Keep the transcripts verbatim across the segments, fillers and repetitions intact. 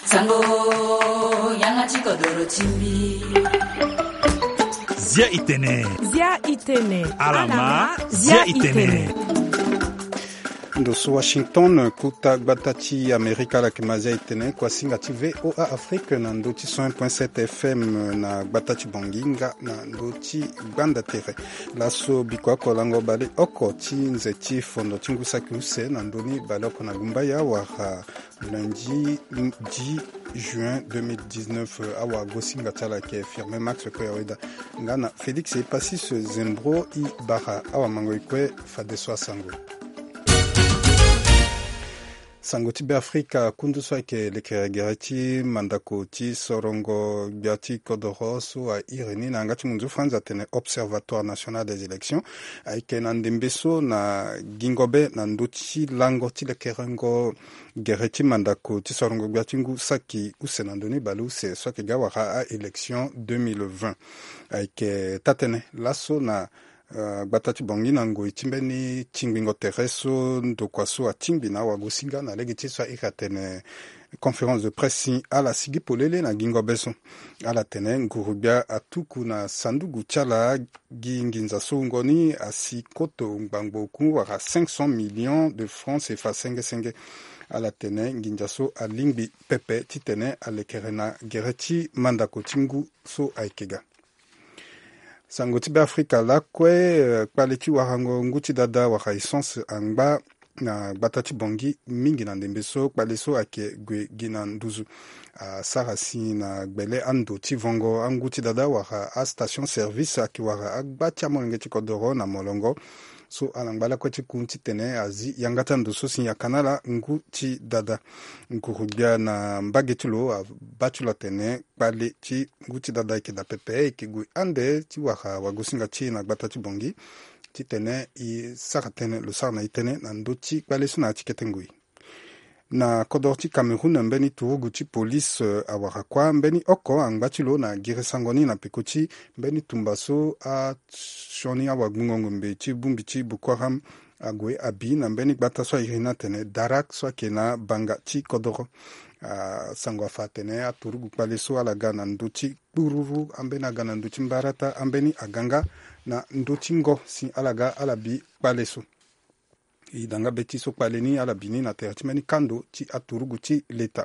Sango, yanga ti kodoro ti mbi. Zia itene. Zia itene. Alama, zia itene. Ndo so Washington, kota gbata ti Amerika, ala yeke ma zia itene, kuasinga ti V O A Afrique na ndo ti cent un point sept F M na gbata ti Bangui nga na ndo ti gbanda tere. Laso biko oko lango baleoko ti nze ti fondo ti ngu saki use na ndö ni baleoko na gumbaya wala lundi dix juin deux mille dix-neuf. Awagosinga ti ala ayeke Firmin Max Koyaweda nga na Félix Epasis Zembro. E bara awamango e kue fadeso asango. Sango ti Beafrika, kundu so ayeke lekere gere ti mandako ti sorongo gbia ti kodoro so airi ni na yanga ti munzu Franz atene Observatoire National des Élections ayeke na ndembe so na gingo be na ndö ti lango ti lekerengo gere ti mandako ti sorongo gbia ti ngu saki use na ndö ni baleuse so ayeke ga wara a-élection deux mille vingt. Ayeke taa-tënë laso na, euh, gbata ti Bangui na ngoi ti mbeni tingbingo tere so ndokua so atingbi na awagosinga na lege ti so airi atene conférence de presse si ala sigi polele na gingo be so. Ala tene nguru-gbia atuku na sanduku ti ala gi nginza so wungo ni asi koto ngbangbo oku wala cinq cents millions de francs C F A senge senge. Ala tene nginza so alingbi pepe titene alekere na gere ti mandako ti ngu so ayeke ga. Sango ti Beafrika lakue, eh, kpale ti warango ngu ti dada wala essence angba na gbata ti Bangui mingi na ndembe so kpale so ayeke gue gi na nduzu. Asara si na gbele ando ti vongo angu ti dada wala astation service ayeke wara agba ti amolenge ti kodoro na molongo so ala ngba lakue ti ku titene azi yanga ti ando so si ayaka na ala ngu ti dada. Nguru-gbia na mbage ti lo abaa ti lo atene kpale ti ngu ti dada ayeke daa pepe, ayeke gue ande ti wara wagosinga ti e na gbata ti Bangui titene e sara tënë, lo sara na e tënë na ndö ti kpale so na ya ti kete ngoi. Na kodoro ti Cameroun, mbeni turugu ti police, eh, awara kuâ mbeni oko angba ti lo na girisango ni na peko ti mbeni tumba so asioni awagbungo ngombe ti bongbi ti Boko Haram ague abi na mbeni gbata so airi ni atene Darak so ayeke na banga ti kodoro. Ah, sango afa atene aturugu kpale so ala ga na ndö ti kpururu, ambeni aga na ndö ti mbarata, ambeni aga nga na ndö ti ngo si ala ga ala bi kpale so. E da nga be ti so kpale ni ala bi ni na tere ti mbeni kando ti aturugu ti leta.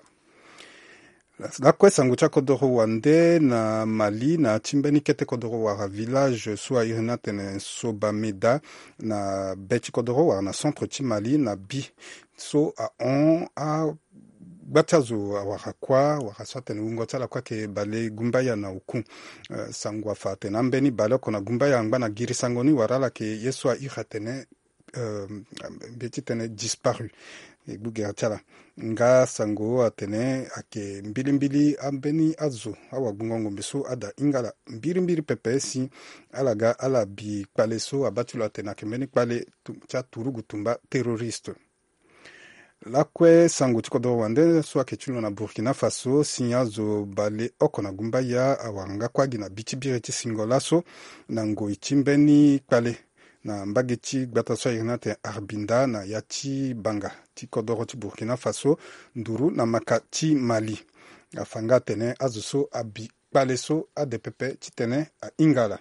Lakue sango ti akodoro wande na Mali na ti mbeni kete kodoro wala village so airi ni atene Sobameda na be ti kodoro wala na centre ti Mali na bi so ahon a gba ti azo awara kuâ wala so atene wungo ti ala kuâ ayeke bale gumbaya na oku. Eh, sango afa atene ambeni baleoko na gumbaya angba na girisango ni wala ala yeke ye so airi atene, eh, mbi ye ti tene disparu. E gbu gere ti ala. Nga sango atene ayeke mbilimbili ambeni azo awagbungo ngombe so ada hinga ala mbirimbiri pepe si ala ga ala bi kpale so abaa ti lo atene ayeke mbeni kpale tu-, ti aturugu tumba terroriste. Lakue sango ti kodoro wande so ayeke ti lo na Burkina Faso si azo baleoko na gumbaya awara nga kuâ gi na bi ti biri ti singo laso na ngoi ti mbeni kpale na mbage ti gbata so airi ni atene Arbinda na ya ti banga ti kodoro ti Burkina Faso nduru na maka ti Mali. Afa nga atene azo so abi kpale so ade pepe titene ahinga ala.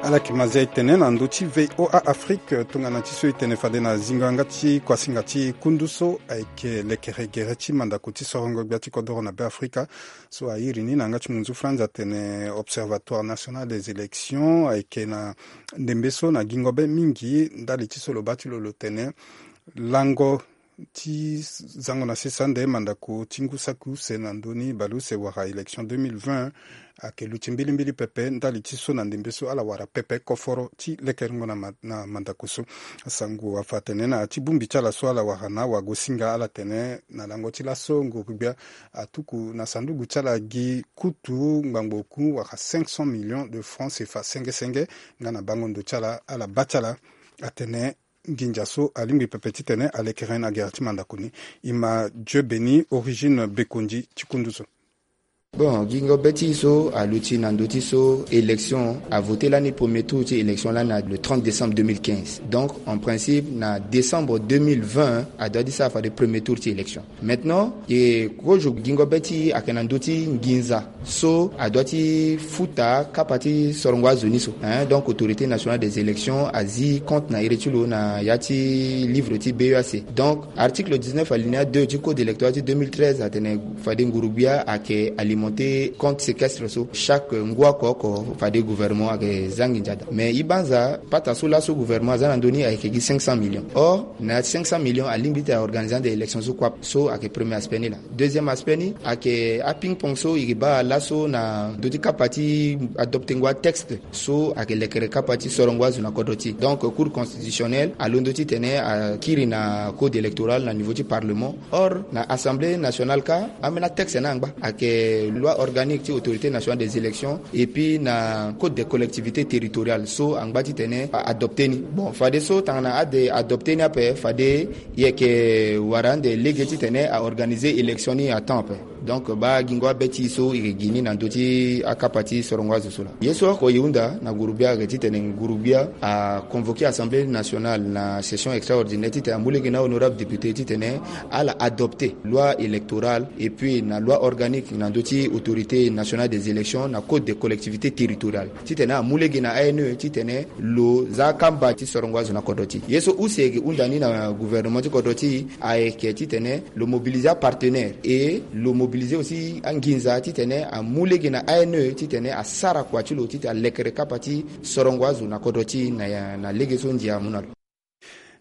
Ala yeke ma zia e tene na ndö ti V O A Afrique, tongana ti so e tene fade na zingo yanga ti kuasinga ti kundu so ayeke lekere gere ti mandako ti sorongo gbia ti kodoro na Beafrika so airi ni na yanga ti munzu Franz atene Observatoire National des Élections ayeke na ndembe so na gingo be mingi ndali ti so lo baa ti lo lo tene lango ti zango na sese ande mandako ti ngu saki use na ndö ni baleuse wala élection deux mille vingt ayeke luti mbilimbili pepe ndali ti so na ndembe so ala wara pepe koforo ti lekerengo na ma-, na mandako so. Sango afa atene na ya ti bongbi ti ala so ala wara na awagosinga ala tene na lango ti laso nguru-gbia atuku na sanduku ti ala gi kutu ngbangbo oku wala cinq cents millions de francs C F A senge senge nga na bango ndo ti ala, ala baa ti ala atene nginza so alingbi pepe titene alekere na gere ti mandako ni. E ma Dieu Béni Origine Bekondi ti kundu so. Bon, gingo be ti so aluti na ndö ti so élection avoté lani premier tour ti élection lani na le trente décembre deux mille quinze. Donc en principe na décembre deux mille vingt adoit ti sara fade premier tour ti élection. Maintenant e kozo gingo be ti ayeke na ndö ti nginza so adoit ti futa kapa ti sorongo azo ni so, hein. Donc autorité nationale des élections azi compte na iri ti lo na ya ti livre ti B E A C. Donc article dix-neuf alinéa deux ti code électoral ti deux mille treize atene fade ngurugbia ayeke alimenté compte séquestre so chaque ngu oko oko fade gouvernement ayeke za nginza daa. Mais e banza pata so laso gouvernement aza na ndö ni ayeke gi cinq cents millions. Or na cinq cents millions alingbi ti aorganisé ande élection so kue ape. So ayeke premier aspect ni laa. Deuxième aspect ni ayeke aping pong so e baa laso na ndö ti kapa ti adoptengo atexte so ayeke lekere kapa ti sorongo azo na kodro ti e. Donc cour constitutionnelle alondo titene akiri na code électoral na niveau ti parlement. Or na assemblée nationale kâ ambeni atexte ni angba. Ayeke loi organique ti autorité nationale des élections et puis na code des collectivités territoriales so angba titene a adopté ni. Bon fadeso tongana ade adopté ni ape fade e yeke wara ande lege titene aorganisé élection ni à temps ape. Donc baa gingo abe ti e so e gi ni na ndö ti akapa ti sorongo azo so laa. Ye so oko e hunda na gurugbia ayeke titene gurugbia aconvoqué assemblée nationale na session extraordinaire titene amu lege na honorable député titene ala adopté loi électorale et puis na loi organique na ndö ti autorité nationale des élections na code des collectivités territoriales titene amu lege na A N E titene lo za akamba ti sorongo azo na kodro ti e. Ye so use e yeke hunda ni na gouvernement ti kodro ti e ayeke titene lo mobilisé apartenaire et lo mobilisé aussi anginza titene amu lege na A N E titene asara kua ti lo titene alekere kapa ti sorongo azo na kodro ti e na, na lege so ndia amu na lo.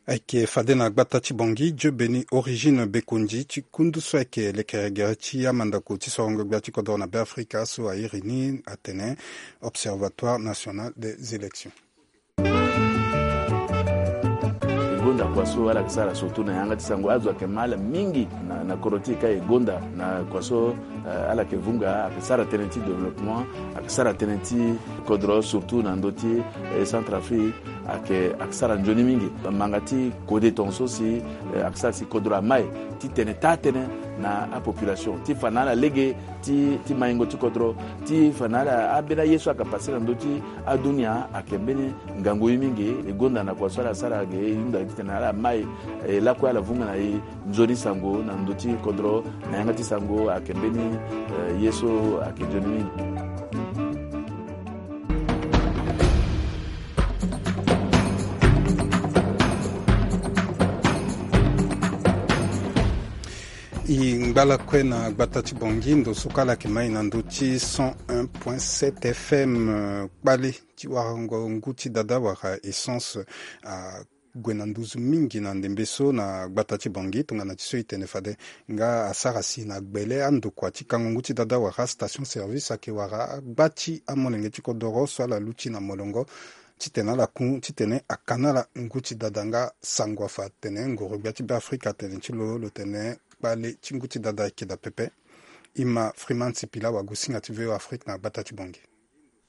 Ayeke fade na gbata ti Bangui, Dieu Béni Origine Bekondi ti kundu so ayeke lekere gere ti amandako ti sorongo gbia ti kodro na Beafrika so airi ni atene Observatoire National des Élections. E gonda kua so ala yeke sara surtout na yanga ti sango azo ayeke ma ala mingi na, na kodro ti e ka e gonda na kua so, eh, ala yeke vunga ayeke sara tënë ti développement, ayeke sara tënë ti kodro surtout na ndö ti, eh, Centrafrique ayeke, ayeke sara nzoni mingi. Manga ti kode tongaso si, eh, ayeke sara si kodro amai titene taa tënë na apopulation ti fa na ala lege ti, ti maingo ti kodro ti fa na ala ambeni aye so ayeke passé na ndö ti adunia ayeke mbeni ngangu ye mingi. E gonda na kua so ala sara ge e hunda titene ala mai, e lakue ala vunga na e nzoni sango na ndö ti kodro na yanga ti sango ayeke mbeni, eh, ye so ayeke nzoni mingi. E ngba lakue na gbata ti Bangui ndo so kue ala yeke mai na ndö ti cent un point sept F M, eh, kpale ti warango ngu ti dada wala essence, ah, ague na nduzu mingi na ndembe so na gbata ti Bangui tongana ti so e tene fade nga asara si na gbele andokua ti kango ngu ti dada wala station service ayeke wara agba ti amolenge ti kodoro so ala luti na molongo titene ala ku titene aka na ala ngu ti dada nga sango afa atene ngoro gbia ti Beafrika atene ti lo lo tene kpale ti ngu ti dada ayeke daa pepe. E ma Freeman Sipila wagosinga ti V O Afrique na gbata ti Bangui.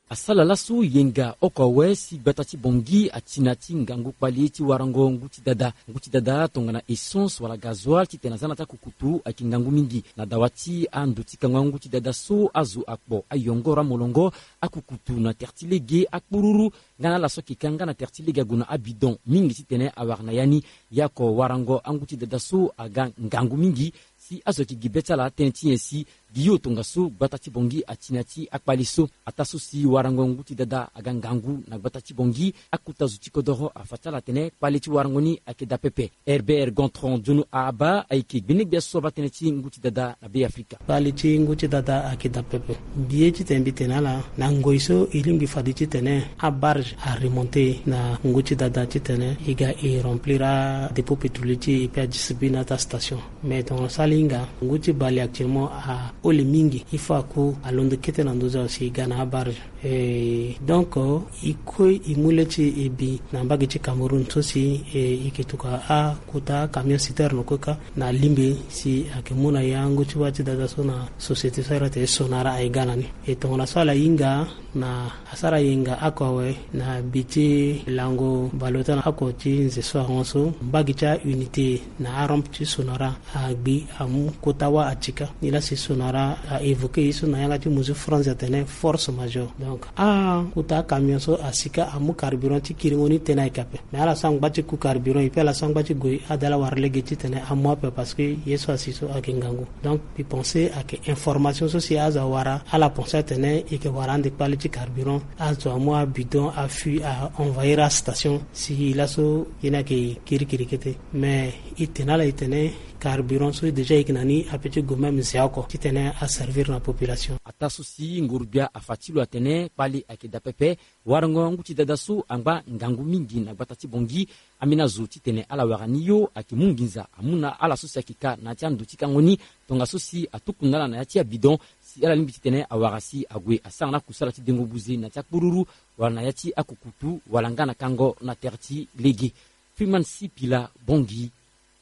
Asala laso yenga oko awe si gbata ti Bangui ati na ti ngangu kpale ti warango ngu ti dada. Ngu ti dada tongana essence wala gazoil titene aza na ti akukutu ayeke ngangu mingi na dawa ti ando ti kango angu ti dada so azo akpo ayongoro amolongo akukutu na tere ti lege akpururu nga na ala so ayeke ka nga na tere ti lege ague na abidon mingi titene awara na ya ni. Ya oko warango angu ti dada so aga ngangu mingi si azo ayeke gi be ti ala tënë ti nyen si gi yo tongaso gbata ti Bangui ati na ya ti akpale so. Ataa so si warango ngu ti dada aga ngangu na gbata ti Bangui, akota zo ti kodoro afa ti ala atene kpale ti warango ni ayeke daa pepe. Herbert Gontran Diono Ahaba ayeke gbene gbia so abaa tënë ti ngu ti dada na Beafrika. Kpale ti ngu ti dada ayeke daa pepe. Mbi ye titene mbi tene na ala na ngoi so e lingbi fade titene abarge aremonté na ngu ti dada titene e ga e remplir adépôt pétrolier ti e pe adistribue na ata station. Mais tongana so ala hinga ngu ti bale actuellement ahole mingi. Il faut aku alondo kete na nduzu awe si e ga na abarge. E donc, e kue e mu le ti e bi na mbage ti Cameroun so si e yeke tokua akota camion citerne kue kâ na limbe si ayeke mu na yango ti wâ ti dada so na société so a iri atene Sonara aye ga na ni. E tongana so ala hinga na asara yenga oko awe na bi ti lango baleota na oko ti nze so ahon so, mbage ti aunité na arampe ti Sonara agbi amu kota wâ atika. Nilaa si Sonara a évoqué ye so na yanga ti mesure France atene force majeure. Donc akota camion so asi kâ amu carburant ti kiringo ni tënë ayeke ape. Mais ala so angba ti ku carburant et puis ala so angba ti gue adala wara lege titene amu ape parce que ye so asi so ayeke ngangu. Donc mbi pense ayeke information so si azo awara, ala pense atene e yeke wara ande kpale ti carburant, azo amu abidon afui a envahir astation. Si laso ye ni ayeke kirikiri kete. Mais e tene ala e tene carburant so déjà e yeke na ni ape ti gue même zia oko titene aservir na population. Ataa so si nguru-gbia afa ti lo atene kpale ayeke daa pepe. Warango ngu ti dada so angba ngangu mingi na gbata ti Bangui, ambeni azo titene ala wara ni yo ayeke mu nginza amu na ala so si ayeke ka na ya ti ando ti kango ni, tongaso si atuku na ala na ya ti abidon si ala lingbi titene awara si ague asara na akusala ti dengo buze na ya ti akpururu wala na ya ti akukutu wala nga na kango na tere ti lege. Freeman Sipila, Bangui,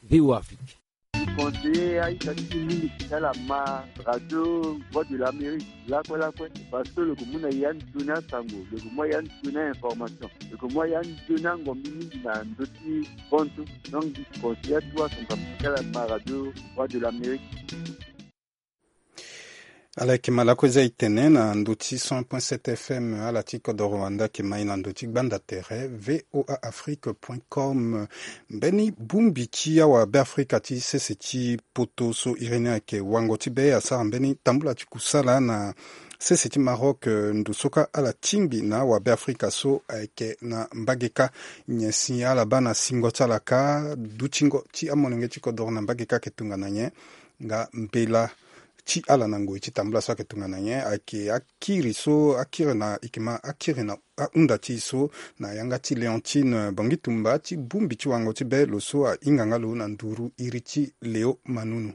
V O A Afrique. Conseiller a-ita ti e mingi ti ala ma radio Voix de l'Amérique lakue lakue, parce que lo yeke mu na e anzoni asango, lo yeke mu na e anzoni a-information, lo yeke mu na e anzoni angombi mingi na ndö ti bantu. Donc mbi conseiller atu asango ape ti ala ma radio Voix de l'Amérique. Ala yeke ma lakue za e tene na ndö ti cent point sept F M, ala ti kodoro wande ayeke ma e na ndö ti gbanda tere V O A Afrique point com. Mbeni bongbi ti awabeafrika ti sese ti poto so iri ni ayeke wango ti be asara mbeni tambula ti kusala na sese ti Maroc, eh, ndo so kâ ala tingbi na awabeafrika so ayeke na mbage kâ. Nyen si ala baa na singo ti ala kâ? Dutingo ti amolenge ti kodoro na mbage kâ ayeke tongana nyen? Nga mbela ti ala na ngoi ti tambula so ayeke tongana nyen? Ayeke akiri so akiri na, e yeke ma akiri na ahunda ti e so na yanga ti Léontine Bongi Tumba ti bongbi ti wango ti be, lo so ahinga nga lo na nduru iri ti Léo Manunu.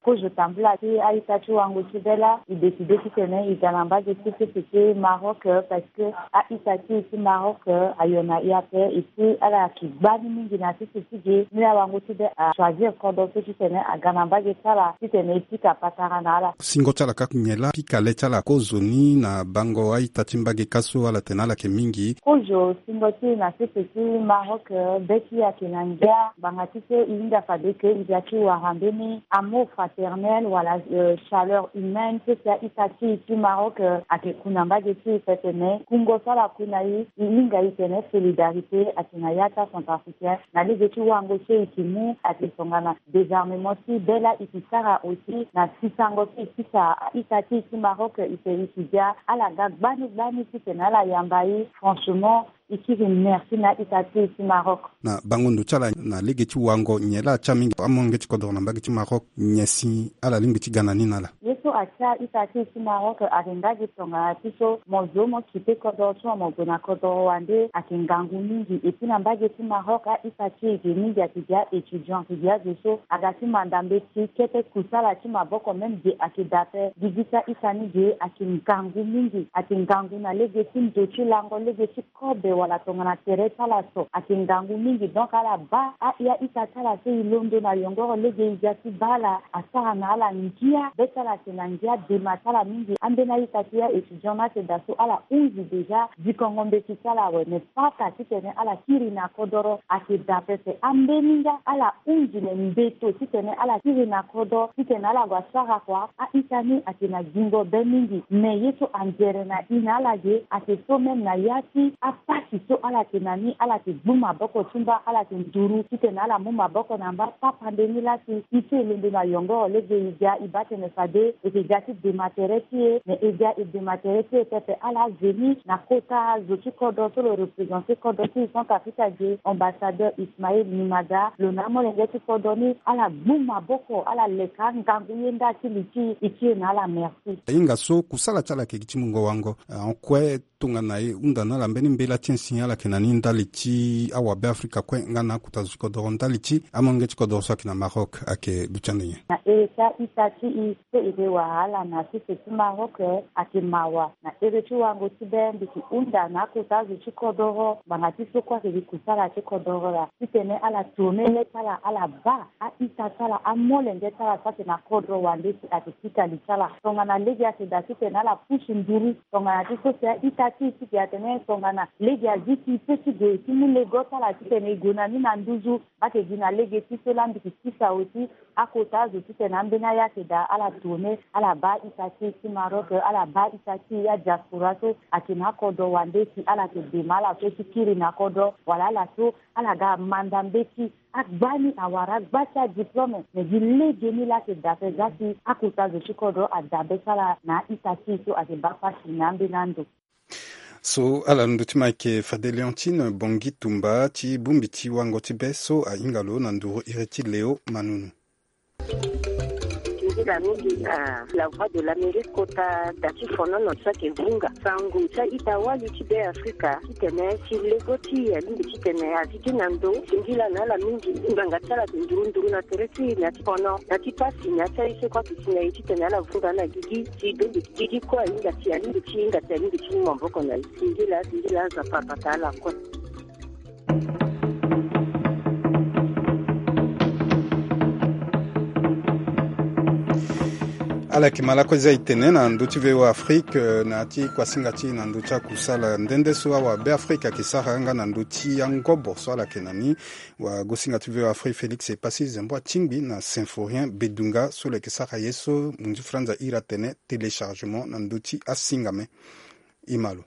Kozo tambula ti a-ita ti wango ti be laa, e décidé titene e ga na mbage ti sese ti Maroc, parce que a-ita ti e ti Maroc ayo na e ape, et puis ala yeke gbani mingi na sese ti ge. Ni laa wango ti be achoisir kodro so titene aga na mbage ti ala titene e pika patara na ala. Singo ti ala kâ nyen laa? Pika le ti ala kozoni na bango a-ita ti mbage kâ so ala tene ala yeke mingi. Kozo singo ti e na sese ti Maroc, be ti e ayeke na ngia, ngbanga ti so e hinga fade ke e ga ti wara mbeni amour fraternel wala, euh, chaleur humaine so si a-ita ti e ti Maroc, euh, ayeke ku na mbage ti e pepe. Me kungo so ala ku na e, e hinga e tene solidarité ayeke na ya ti acentrafricain. Na lege ti wango so e yeke mu ayeke tongana désarmement ti be laa e yeke sara aussi na sisango so e sisa a-ita ti e ti Maroc, e tene e yeke ga ala ga gbani gbani titene ala yamba e. Franchement, e kiri merci na a-ita ti e ti Maroc. Na bango ndo ti ala na lege ti wango, nyen laa atia mingi amolenge ti kodoro na mbage ti Maroc? Nyen si ala lingbi ti ga na ni na ala? Ye so atia a-ita ti e ti Maroc ayeke nga gi tongana ti so mo zo mo kite kodoro ti mo, mo gue na kodoro wande ayeke ngangu mingi. Et puis na mbage ti Maroc a-ita ti e ge mingi ayeke gi a-étudiant, ayeke gi azo so aga ti manda mbeti kete kusala ti maboko, même ge ayeke daa ape. Gigi ti a-ita ni ge ayeke ngangu mingi, ayeke ngangu na lege ti ndo ti lango, lege ti kobe wala tongana tere ti ala so ayeke ngangu mingi. Donc ala baa a-ita ti ala so e londo na yongoro lege e ga ti baa ala, asara na ala ngia, be ti ala ayeke na ngia, dema ti ala mingi. Ambeni a-ita ti e a-étudiant ni ayeke daa so ala hunzi déjà dikongo mbeti ti ala awe, me pata titene ala kiri na kodoro ayeke daa pepe. Ambeni nga ala hunzi le mbeto titene ala kiri na kodro titene ala gue asara kua. A-ita ni ayeke na gingo be mingi, me ye so anzere na e na ala ge ayeke so même na ya ti apasi so ala yeke na ni, ala yeke gbu maboko ti mba, ala yeke nduru titene ala mu maboko na mba. Tapande ni laa si e so e londo na yongoro lege e ga, e baa tene fade e yeke ga ti dema tere ti e, me e ga e dema tere ti e pepe. Ala veni na kota zo ti kodro so lo représenter kodro ti e Centrafrique ge, ambassadeur Ismaël Nimada, lo na amolenge ti kodro ni, ala gbu maboko, ala leka angangu ye nda ti li ti e, e ti e na ala merci. Ahinga so kusala ti ala ayeke gi ti mungo wango, eh, en kue. Tongana e hunda na ala mbeni mbela ti insi ala yeke na ni ndali ti awabe afrika kue nga na akota zo ti kodoro ndali ti amolenge ti kodoro so ayeke na Maroc ayeke duti ande nyen? Na ere ti a-ita ti e so e yeke wara ala na sese ti Maroc ayeke mawa. Na ere ti wango ti be mbi yeke hunda na akota zo ti kodoro ngbanga ti so kue ayeke gi kusala ti kodoro laa titene ala tourne le ti ala ala baa a-ita ti ala amolenge ti ala so ayeke na kodro wande si ayeke sika li ti ala. Tongana lege ayeke daa titene ala pusu nduru tongana ti so si a-ita ti e ti ge atene tongana lege azi ti e pe ti gue ti mu lego ti ala titene e gue na ni na nduzu. Mbi yeke gi na lege ti so laa mbi yeke kisa aussi akota azo titene ambeni aya ayeke daa ala tourne ala baa a-ita ti e ti Maroc, ala baa a-ita ti e adiaspora so ayeke na akodro wande si ala yeke dema ala so ti kiri na kodro wala ala so ala ga amanda mbeti. Agbani awara agba ti adiplome me gi legeni laa ayeke dabe za si akota zo ti kodro adabe ti ala na a-ita ti e so ayeke baa pasi na ambeni ando. So ala ndö ti mo ayeke fade Léontine Bongi Tumba ti bongbi ti wango ti be so ahinga lo na nduru iri ti Léo Manunu. Singila mingi na La Voix de l'Amérique kota da ti fonono so ayeke vunga sango ti a-ita wali ti Be Afrika titene si lego ti e alingbi titene azi gi na ndo. Singila na ala mingi. Ngbanga ti ala ayeke nduru nduru na tere ti e na ti fono na ti pasi na ya ti aye so kue ayeke si na e titene ala vunga na gigi si donde gigi kue ahinga si alingbi ti hinga si alingbi ti mu maboko na e. Singila singila Nzapa abata ala kue. Ala yeke ma lakue za e tene na ndö ti V O A Afrique, eh, na ya ti kuasinga ti e na ndö ti akusala nde nde so awabe Afrika ayeke sara nga na ndö ti angobo so ala yeke na ni. Wagosinga ti V O A Afrique Félix Epassi Zembo atingbi na Symphorien Bedunga so lo yeke sara ye so munzu franza iri atene téléchargement na ndö ti asingame. E ma lo.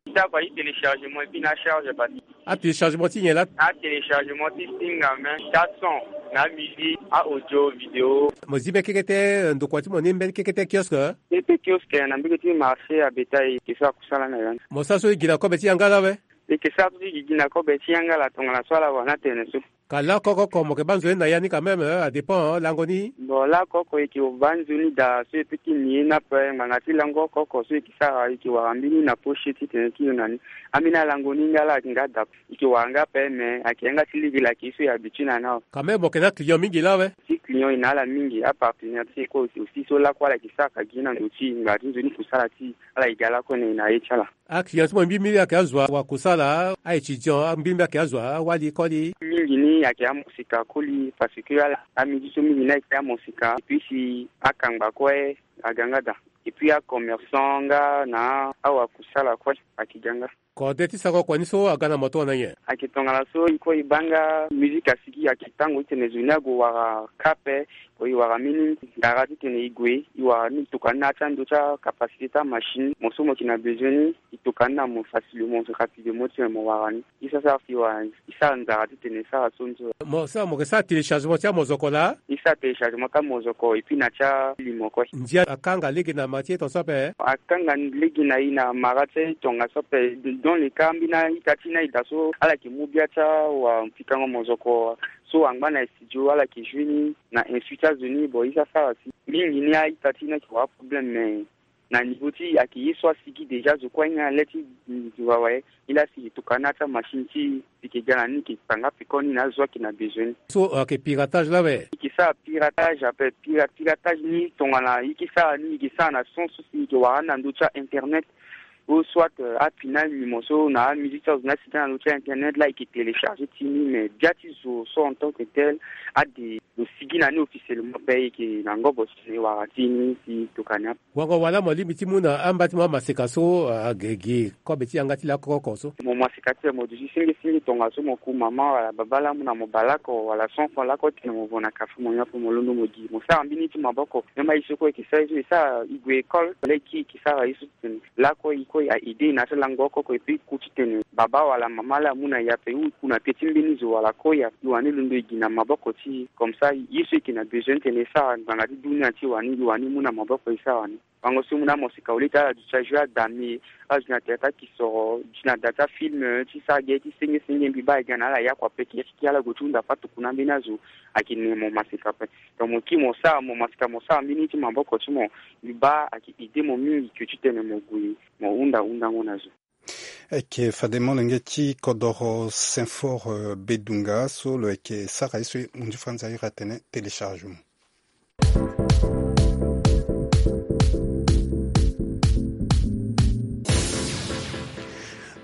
Ti akua ti téléchargement et puis na acharge bati. Atéléchargement ti nyen laa? Atéléchargement ti singame, ti ason, na amusique, a-audio, vidéo. Mo zi be keke te, eh, ndokua ti mo ni mbeni keke te kiosque, eh? Keke kiosque na mbege ti marché a bétail ke so akusala na ya ni. Mo sara so e gi na kobe ti yanga laa awe? E ke sara so ti gi gi na kobe ti yanga laa tongana so ala wara ni atene so. Ka lakue oko oko mo yeke baa nzoni na ya ni quand même, eh, adépend, eh, lango ni. Bon, lakue oko e ke baa nzoni daa so e peut ti ni ye ni ape ngbanga ti lango oko oko so e ke sara e ke wara mbeni na poche titene ti lo na ni. Ambeni alango ni nga laa ayeke nga daa. E ke wara nga ape mais ayeke yanga ti lege laa ayeke ye so e habitue na ni awe. Quand même mo yeke na aclient mingi laa awe? Ti client e na ala mingi, apartenaire ti e kue aussi so lakue ala yeke sara ka gi na ndo ti e ngbanga ti nzoni kusala ti e ala yeke ga lakue na e na ye ti ala. Aclient ti mo mbi mbi ayeke azo wa kusala, a-étudiant mbi mbi ayeke azo awali koli. Mingi ni ayeke amosika koli parce que ala amidi so mingi ni ayeke amosika et puis si akangba kue aga nga daa. Et puis acommerçant nga na awakusala kue ayeke ga nga. Kode ti sako kua ni so aga na mo tongana nyen? Ayeke tongana so e kue e baa nga musique asigi ayeke tango titene zo ni ague wara ka ape. Ko e wara mbeni ndara titene e gue e wara ni e toka ni na ya ti ando ti acapacité ti amachine mo so mo yeke na besoin ni. E toka ni na mo facilement rapidement titene mo wara ni. E sara sara si e wara e sara nzara titene e sara so ni so. Mo sara mo yeke sara téléchargement ti amozoko laa? E sara téléchargement ti amozoko et puis na ti alimo kue. Ndia akanga lege na ma ti e tongaso ape? Akanga lege na e na mara ti e tongaso ape. Dans le cas ambeni a-ita ti e ni aye daa so ala yeke mu bia ti awapikango mozoko so angba na studio ala yeke joue ni na insu ti azo ni. Bon e sara sara si mingi ni a-ita ti e ni ayeke wara problème mais na niveau ti e ayeke ye so asigi déjà zo kue ahinga le ti zo awe. E laa si e toka ni na ya ti amachine ti e si e yeke ga na ni e yeke kpanga peko ni na azo ayeke na besoin ni. So ayeke piratage laa awe? E yeke sara piratage ape. Pira piratage ni tongana e yeke sara ni e yeke sara na sens so si e yeke wara ni na ndö ti a-internet. Ou soit, euh, apinal ni mo so na amusique ti azo ni asigi na ndö ti a-internet laa e yeke télécharger ti ni mais bia ti zo so en tant que tel ade lo sigi na ni officiellement ape e yeke na ngobo titene e wara ti ni si e toka ni ape. Wango wala mo lingbi ti mu na amba ti mo amaseka so, ah, agi gi kobe ti yanga ti lakue oko so? Mo maseka ti mo duti senge senge tongaso mo ku mama wala baba laa amu na mo bale oko wala cent francs lakue titene mo vo na café mo nyon ape mo londo mo gi mo sara mbeni ti maboko. Même aye so kue e yeke sara ye so e sara e gue école leki e yeke sara ye so titene lakue e kue a aider e na ya ti lango oko oko et puis e ku titene baba wala mama laa amu na e ape ou e ku na pie ti mbeni zo wala kue e wani londo e gi na maboko ti e comme ça ye so e yeke na besoin titene e sara ngbanga ti dunia ti e wani e wani mu na maboko e sara wani. Bango so mu na mosika wali ti ala duti ajoue adami azo na théâtre akisoro duti na da ti afilm ti sara ge ti senge senge mbi baa ega na ala yakua pekiriki ala gue ti hunda fatuku na mbeni azo. Ayeke ne mo masika ape. Donc mo kiri mo sara mo masika mo sara mbeni ti maboko ti mo. Mbi baa ayeke aidé mo mingi ke titene mo gue mo hunda hundango na zo. Eke fade molenge ti kodoro Saint-Fort Bedunga so lo yeke sara ye so ye mundi franzi airi atene téléchargement.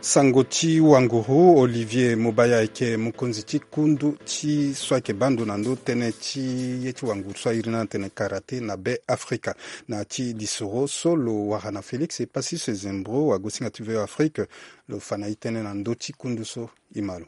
Sango ti wanguru Olivier Mobaya ayeke mokonzi ti kundu ti so ayeke baa ndo na ndo tënë ti ye ti wanguru so airi ni atene karaté na Be Afrika. Na ya ti lisoro so lo wara na Félix Epassy Sezembro wagosinga ti V O Afrique, lo fa na e tënë na ndö ti kundu so. E ma lo.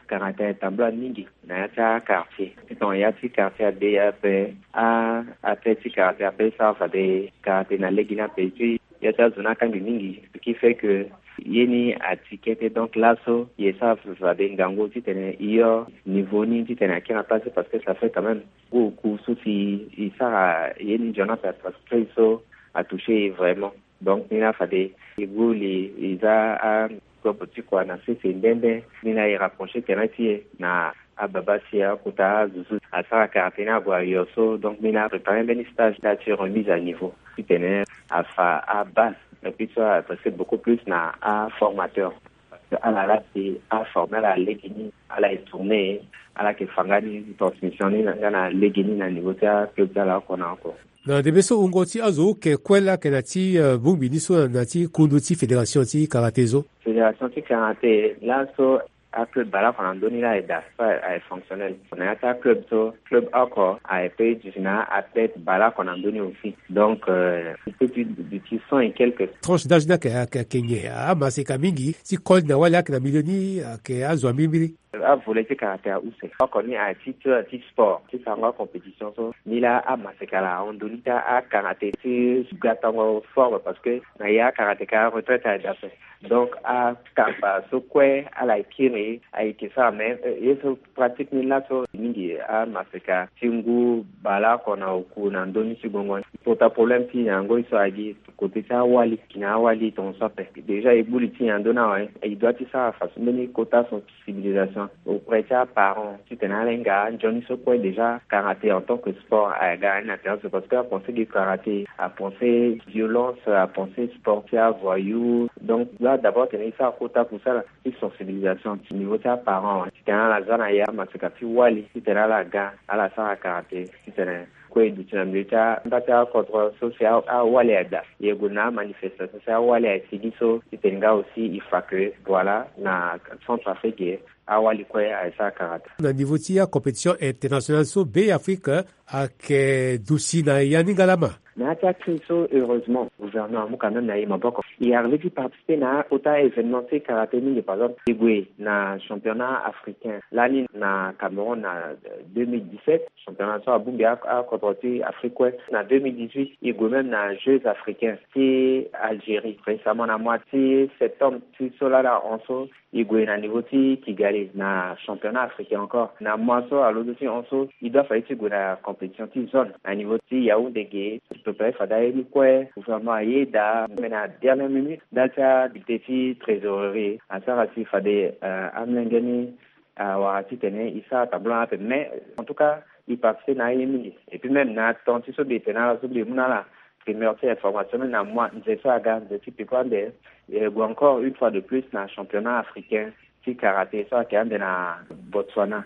Karaté atambula mingi na ya ti akartier. Tongana ya ti kartier ade ape a athlète ti karaté ape e sara fade karaté na lege ni ape ti ya ti azo ni akangi mingi, ce qui fait que ye ni ati kete. Donc laso e sara fade ngangu titene e yo niveau ni titene akiri na place parce que ça fait quand même ngu oku so si e sara ye ni nzoni ape parce que so atoucher e vraiment. Donc ni la fade e gbu li e za akopo ti kua na sese nde nde. Ni la e rapprocher terrain ti e na ababa si akota azo so asara karaté ni ague ayo so. Donc ni la apréparer mbeni stage na ya ti remise à niveau titene afa abase. Et puis so adresser beaucoup plus na aformateur parce que ala la si aformer ala lege ni ala e tourner ala yeke fa nga ni transmission ni nga na lege ni na niveau ti aclub ti ala oko na oko. Na ndembe so wungo ti azo oke kue laa ayeke na ti bongbi ni so na ti kundu ti fédération ti karaté so. Fédération ti karaté laso aclub baleoko na ndö ni laa aye daa so aye fonctionnel. Na ya ti aclub so club oko aye pe duti na athlète baleoko na ndö ni aussi. Donc e pe ti duti cent et quelques. Tranche d'âge ni ayeke ayeke nyen? Amaseka mingi ti koli na wali ayeke na milieu ni ayeke azo ambirimbiri. Avolet ti karaté ahuse oko ni aye ti ture ti sport ti sarango acompétition so ni laa amaseka laa ahon ndo ni ti akaraté ti gatango forme parce que na ya akaraté ka retraite aye daa ape. Donc akamba so kue ala ye kiri ayeke sara mais ye so pratique ni laso mingi amaseka ti ngu baleoko na oku na ndö ni ti gongo ni. Kota problème ti nyango ye so agi côté ti awali ki na awali tongaso ape. Déjà e gbu li ti nyen na ndö ni awe? E doit ti sara façon mbeni kota sensibilisation auprès ti aparent titene ala hinga anzoni so kue déjà karaté en tant que sport aga ni na terrain so parce que apensé ge karaté apensé violence apensé sport ti avoyou. Donc doit d'abord tene e sara kota kusala ti sensibilisation ti niveau ti aparent awe titene ala za na ya amaseka ti wali titene ala ga ala sara karaté titene kue e duti na milieu ti anda ti akodro so si awali aye daa. E gue na amanifestation si awali aye sigi so titene nga aussi e fa que voilà na Centrafrique awali kue aye sara karaté. Na niveau ti acompétition internationale so Be Afrique ayeke duti na ya ni nga laa ma. Na ya ti akiri so heureusement gouvernement amu quand même na e maboko. E arrivé ti participer na akota événement ti karaté mingi par exemple e gue na championnat africain lani na Cameroun na deux mille dix-sept. Championnat so abongbi akodro ti Afrique kue. Na deux mille dix-huit e gue même na Jeux africains ti Algérie récemment na mois ti septembre ti so laa na hon so e gue na niveau ti Kigali na championnat africain encore na mois so alondo ti hon so e doit fade ti gue na compétition ti zone na niveau ti Yaoundé ge. Prépare fade aye ni kue gouvernement aye daa me na dernière minute ndali ti abulletin ti trésorerie asara si fade amolenge ni awara titene e sara tableau ape mais en tout cas e participer na aye mingi. Et puis même na temps ti so mbi yeke na ala so mbi yeke mu na ala primeur ti information ni na mois nze so aga nze ti peko ande e gue encore une fois de plus na championnat africain ti karaté so ayeke ande na Botswana.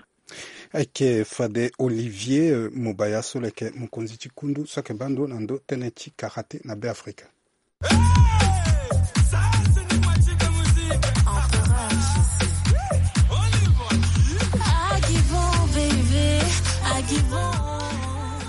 Ayeke fade Olivier Mobaya so lo yeke mokonzi ti kundu so ayeke baa ndo na ndo tënë ti karaté na Be Afrika.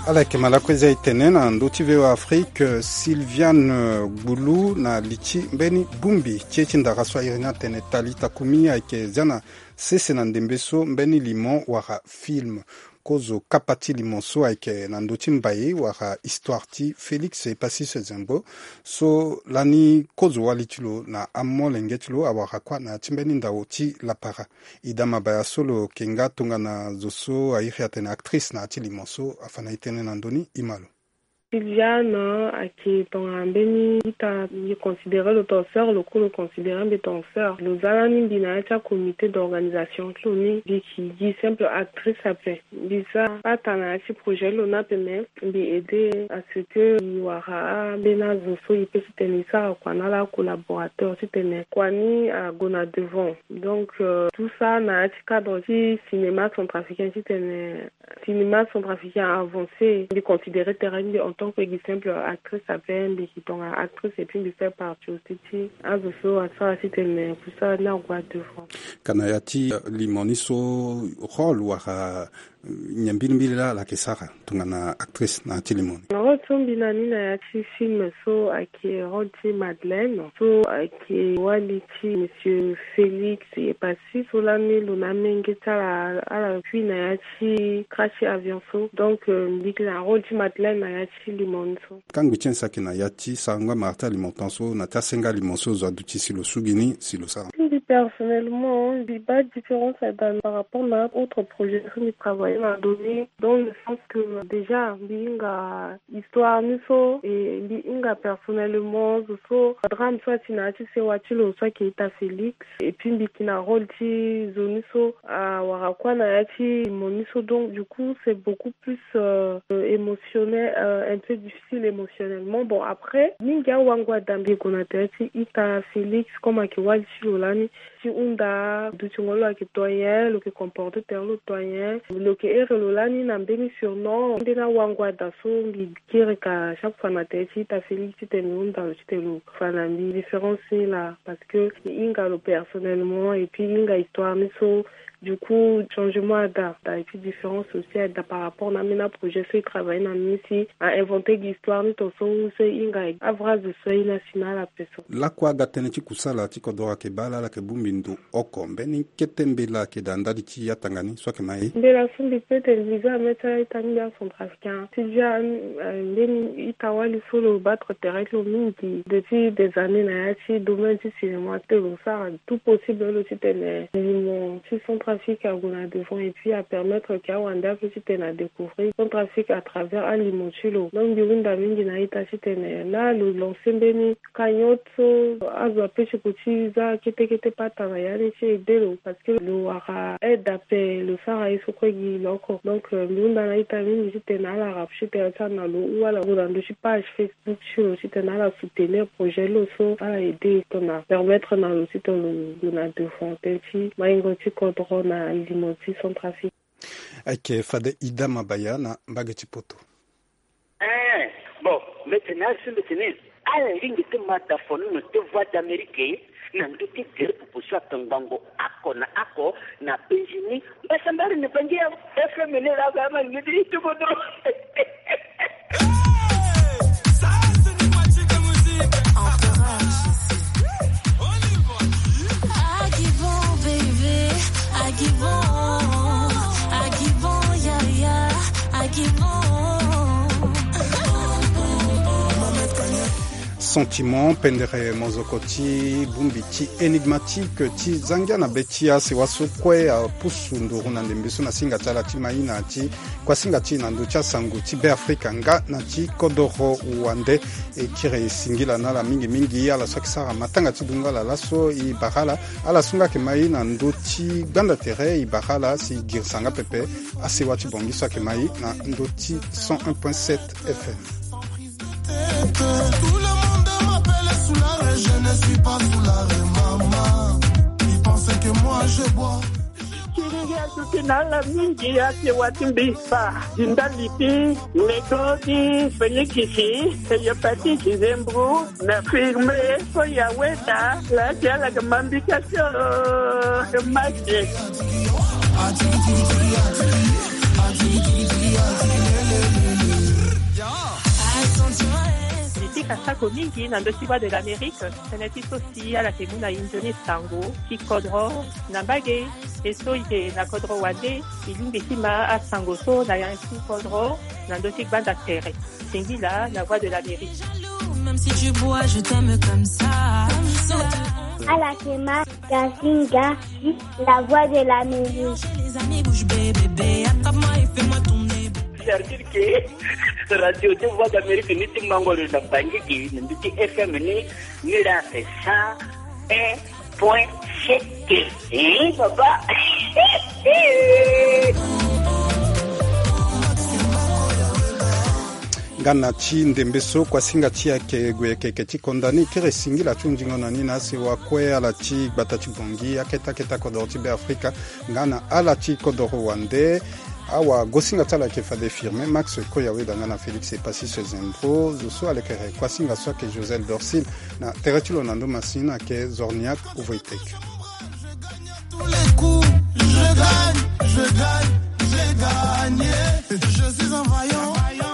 Ala yeke ma lakue za e tene na ndö ti V O Afrique. Sylviane Gbulu na li ti mbeni bongbi ti ye ti ndara so airi ni atene Tali Takumi ayeke zia na sese na ndembe so mbeni limo wala film. Kozo kapa ti limo so ayeke na ndö ti mbai wala histoire ti Félix Epassy Sezembo so lani kozo wali ti lo na amolenge ti lo awara kua na ya ti mbeni ndao ti lapara. Ida Mabaya so lo yeke nga tongana zo so airi atene actrice na ya ti limo so afa na e tënë na ndö ni. E ma lo. Sylviane ayeke tongana mbeni ita, mbi considéré lo tongana sœur, lo kue lo considéré mbi tongana sœur. Lo za lani mbi na ya ti acomité d'organisation ti lo ni, mbi yeke gi simple actrice ape. Mbi za pata na ya ti projet ti lo ni ape, me mbi aidé à ce que e wara ambeni azo so e peut ti tene e sara kua na ala acollaborateur ti tene kua ni ague na devant. Donc, euh, tout ça na ya ti cadre ti cinéma centrafricain ti tene cinéma centrafricain avancé. Mbi considéré tere ti mbi en tant que gi simple actrice ape, mbi yeke tongana actrice et puis mbi fait partie aussi ti azo so asara ti tene kusala ni ague devant. Ka na ya ti, euh, limo ni so, rôle wala, euh, nyen mbilimbili laa ala yeke sara tongana actrice na ya ti limo ni? Rôle so mbi na ni na ya ti film so ayeke rôle ti Madeleine, so ayeke wali ti monsieur Félix Epassi, so lani lo na amenge ti ala, ala kui na ya ti crash ti avion so. Donc, euh, mbi yeke na rôle ti Madeleine na ya ti limo ni so. Kangbi ti nyen so ayeke na ya ti sarango amara ti alimo tan so na ya ti asenga alimo so zo aduti si lo sugi ni si lo sara? Mbi personnellement, mbi baa différence ada par rapport na autre projet so mbi travaillé na ndo ni, dans le sens que déjà mbi hinga histoire ni so, et mbi hinga personnellement zo so drame so ati na ya ti sewa ti lo so ayeke ita Félix. Et puis mbi yeke na rôle ti zo ni so awara kuâ na ya ti limo ni so. Donc du coup c'est beaucoup plus, euh, euh, émotionnel, euh, un peu difficile émotionnellement. Bon, après mingi awango ada mbi gue na tere ti ita Félix comme ayeke wali ti lo lani, ti hunda dutingo lo ayeke to nyen, lo yeke comporté tere lo to nyen, lo yeke ere lo lani na mbeni surnom. Ambeni awango ada so mbi kiri ka chaque fois na tere ti ita Félix titene mbi hunda lo titene lo fa na mbi différence ni laa, parce que mbi hinga lo personnellement et puis mbi hinga histoire ni so. Du coup changement ada, ada et puis différence aussi ada par rapport na ambeni aprojet so e travaillé na ni si a inventé gi histoire ni ton so, ou so e hinga avra zo so aye ni asi na ala ape so. Lakue aga tënë ti kusala ti kodoro ayeke baa ala, ala yeke bongbi ndo oko. Mbeni kete mbela ayeke daa ndali ti atanga ni so ayeke ma e? Mbela so mbi peut tene mbi za na mê ti ala ita ni mbi acentrafricain. Ti dia, euh, mbeni ita wali so lo battre tere ti lo mingi depuis des années na ya ti domaine ti cinéma ti lo, lo sara tout possible lo titene limo ti Centrafrique ague na devant et puis apermettre ke awande ape titene adécouvrir Centrafrique à travers alimo ti lo. Donc mbi hunda mingi na ita titene laa lo lancé mbeni cagnotte so azo ape ti ko ti za kete kete pata na ya ni ti aidé lo, parce que lo wara aide ape, lo sara ye so kue gi lo oko. Donc, euh, mbi hunda na ita mingi titene ala rapproché tere ti ala na lo ou ala gue na ndö ti page Facebook ti lo titene ala soutenir projet lo so ala aidé titene permettre na lo titene lo gue na devant tënë ti maingo ti kodro na limo ti Centrafrique. Ayeke fade Ida Mabaya na mbage ti poto. Eh, bon, mbi tene asi mbi tene ala lingbi ti ma da fonono ti Voix d'Amérique na ndö ti gere proposition atongbango oko na oko na penzi ni. Mbasambari ni bangi ya F M ni la ba ma ni ti kodro. Sentiment pendere mozoko ti bongbi ti énigmatique ti zangia na be ti asewa so kue apusu nduru na ndembe so na singa ti ala ti mai na ti kuasinga ti e na ndö ti asango ti Beafrika nga na ti kodoro wande. E kiri singila na ala mingi mingi ala so ayeke sara matanga ti dungo ala laso e bara ala. Ala so nga ayeke mai na ndö ti gbanda tere e bara ala si e girisa nga pepe asewa ti Bangui so ayeke mai na ndö ti cent un point sept F M. Tout le monde m'appelle Soulare, je ne suis pas Soulare, maman. Ils pensent que moi je bois. Kiriri aduti na ala mingi asewa ti mbi fa. Zinda lipi, nego ti Félix, hépatite, zembro, na firme, so ya weta, la ti ala ke mambi ka so, ke mache. Mbi pika sako mingi na ndö ti Voix de l'Amérique, tënë ti so si ala yeke mu na e nzoni sango ti kodro na mbage. E so e yeke na kodro wande, e lingbi ti ma asango so na ya ti kodro na ndö ti gbanda tere. Singila na Voix de l'Amérique. Même si tu bois, je t'aime comme ça. Ala yeke ma Gazinga, la Voix de l'Amérique. Les amis, bouge bébé, attrape-moi et fais-moi tourner. C'est-à-dire que radio de Voix d'Amérique ni ti mango lo na Bangui gi, ni ti F M ni, ni la c'est cent un point sept. Eh, papa. Nga na ti ndembe so kuasinga ti ayeke gue yeke yeke ti konda ni kiri singila ti hunzingo na ni na asewa kue ala ti gbata ti Bangui, akete akete akodoro ti Beafrika, nga na ala ti kodoro wande. Awagosinga ti ala ayeke fade Firmin Max Koyaweda nga na Félix Epassis Zembro. Zo so alekere kuasinga so ayeke Josel Dorcil. Na tere ti lo na ndo masini ayeke Zorniak Uvoitek. Tous les coups, je gagne, je gagne, j'ai gagné. Je suis un vaillant.